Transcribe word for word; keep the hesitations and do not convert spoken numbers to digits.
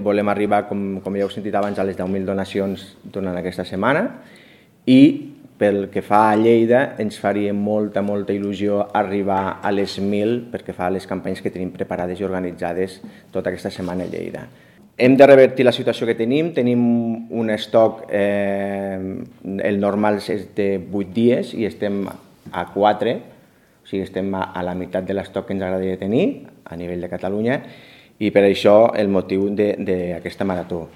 Volem arribar, com, com ja heu sentit abans, a les deu mil donacions durant aquesta setmana i pel que fa a Lleida ens faria molta, molta il·lusió arribar a les mil pel que fa a les campanyes que tenim preparades i organitzades tota aquesta setmana a Lleida. Hem de revertir la situació que tenim, tenim un estoc, eh, el normal és de vuit dies i estem a quatre, o sigui, estem a la meitat de l'estoc que ens agradaria tenir a nivell de Catalunya i per això el motiu d'aquesta marató.